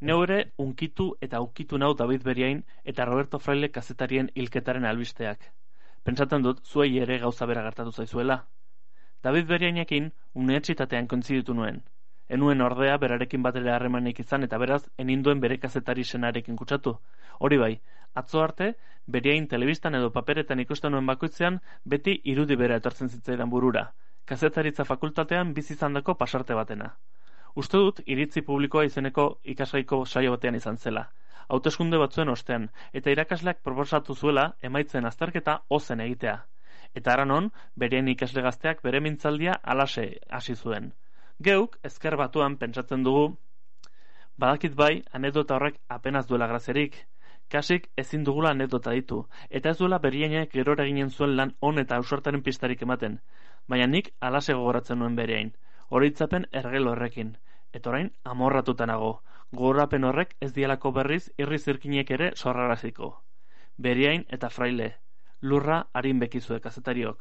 Neu ere unkitu eta ukitu nau David Beriain eta Roberto Fraile kazetarien hilketaren albisteak. Pentsatzen dut zuei ere gauza bera gertatu zaizuela. David Beriainekin unibertsitatean kointziditu nuen. Enuen ordea berarekin batera harremanik izan eta beraz eninduen bere kazetari senarekin kutsatu. Hori bai, atzo arte, Beriain telebistan edo paperetan ikusten nuen bakoitzean beti irudi bera etortzen zitzaidan burura. Kazetaritza fakultatean bizi izandako pasarte batena. Uste dut iritzi publikoa izeneko ikasgaiko saio batean izan zela. Hauteskunde batzuen ostean, eta irakasleak proposatu zuela emaitzen azterketa ozen egitea. Eta aranon, Beriain ikasle gazteak bere mintzaldia alase hasi zuen. Geuk, ezker batuan pentsatzen dugu, badakit bai, anekdota horrek apenas duela graziarik, kasik ezin dugula anekdota ditu, eta ez duela Beriainek gerora ginen zuen lan on eta ausartaren pistarik ematen, baina nik alase gogoratzen nuen Beriain, horitzapen ergelo horrekin, eta orain amorratuta nago, gogorapen horrek ez dialako berriz irri zirkinek ere sorraraziko. Beriain eta Fraile, lurra harin bekizue kazetariok.